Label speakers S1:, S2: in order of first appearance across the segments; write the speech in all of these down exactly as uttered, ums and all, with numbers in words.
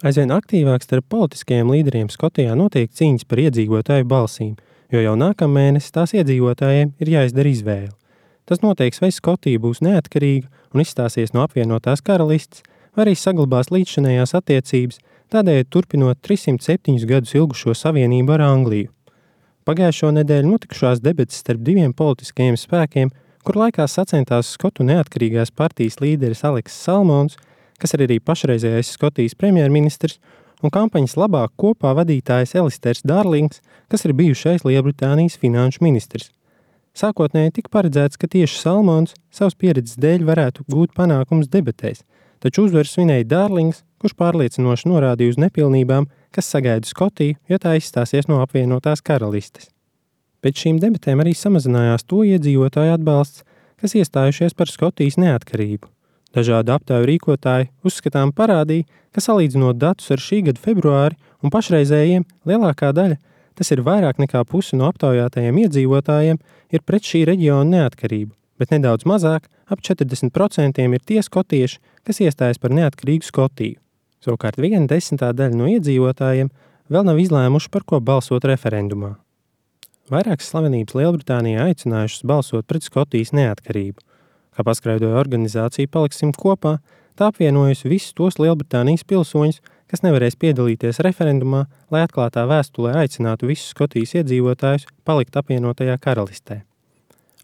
S1: Aizvien aktīvāk starp politiskajiem līderiem Skotijā notiek cīņas par iedzīvotāju balsīm, jo jau nākamēnes tās iedzīvotājiem ir jāizdara izvēle. Tas noteiks, vai Skotija būs neatkarīga un izstāsies no apvienotās karalistes, vai arī saglabās līdzšinējās attiecības, tādējādi turpinot trīssimt septiņus gadus ilgušo savienību ar Angliju. Pagājušo nedēļu notikušās debates starp diviem politiskajiem spēkiem, kur laikā sacentās Skotu neatkarīgās partijas līderis Aleks Salmons, kas ir arī pašreizējais Skotijas premjerministrs, un kampaņas labāk kopā vadītājs Elisters Darlings, kas ir bijušais Lielbritānijas finanšu ministrs. Sākotnēji tika paredzēts, ka tieši Salmons savas pieredzes dēļ varētu gūt panākums debatēs, taču uzvaru svinēja Darlings, kurš pārliecinoši norādīja uz nepilnībām, kas sagaida Skotiju, ja tā izstāsies no apvienotās karalistes. Pēc šīm debatēm arī samazinājās to iedzīvotāju atbalsts, kas iestājušies par Skotijas neatkarību. Dažādi aptauju rīkotāji uzskatām parādīja, ka salīdzinot datus ar šī gada februāri un pašreizējiem, lielākā daļa, tas ir vairāk nekā pusi no aptaujātajiem iedzīvotājiem, ir pret šī reģiona neatkarību, bet nedaudz mazāk, ap četrdesmit procenti ir tie skotieši, kas iestājas par neatkarīgu Skotiju. Savukārt viena desmitā daļa no iedzīvotājiem vēl nav izlēmuši, par ko balsot referendumā. Vairākas slavenības Lielbritānijā aicinājušas balsot pret Skotijas neatkarību. Kā paskraidoja organizācija Paliksim kopā, tā apvienojusi visus tos Lielbritānijas pilsoņus, kas nevarēs piedalīties referendumā, lai atklātā vēstulē aicinātu visus Skotijas iedzīvotājus palikt apvienotajā karalistē.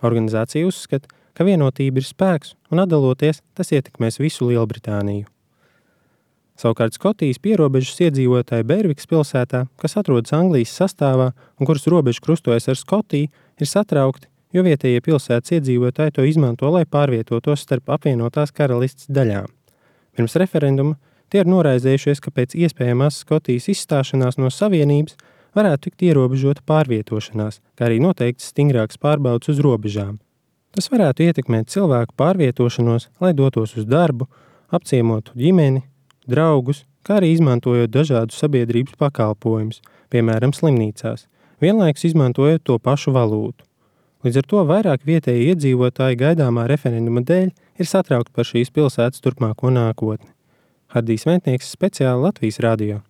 S1: Organizācija uzskata, ka vienotība ir spēks un atdaloties, tas ietekmēs visu Lielbritāniju. Savukārt Skotijas pierobežas iedzīvotāji Bervikas pilsētā, kas atrodas Anglijas sastāvā un kuras robeža krustojas ar Skotiju, ir satraukti, jo vietējie pilsētas iedzīvotāji to izmanto, lai pārvietotos starp apvienotās karalistes daļām. Pirms referenduma tie ir noraizējušies, ka pēc iespējamās Skotijas izstāšanās no savienības varētu tikt ierobežota pārvietošanās, kā arī noteikts stingrāks pārbaudas uz robežām. Tas varētu ietekmēt cilvēku pārvietošanos, lai dotos uz darbu, apciemotu ģimeni, draugus, kā arī izmantojot dažādus sabiedrības pakalpojumus, piemēram slimnīcās, vienlaikus izmantojot to pašu valūtu. Līdz ar to vairāk vietēji iedzīvotāji gaidāmā referenduma dēļ ir satraukti par šīs pilsētas turpmāko nākotni. Hardijs Vētnieks, speciāli Latvijas radio.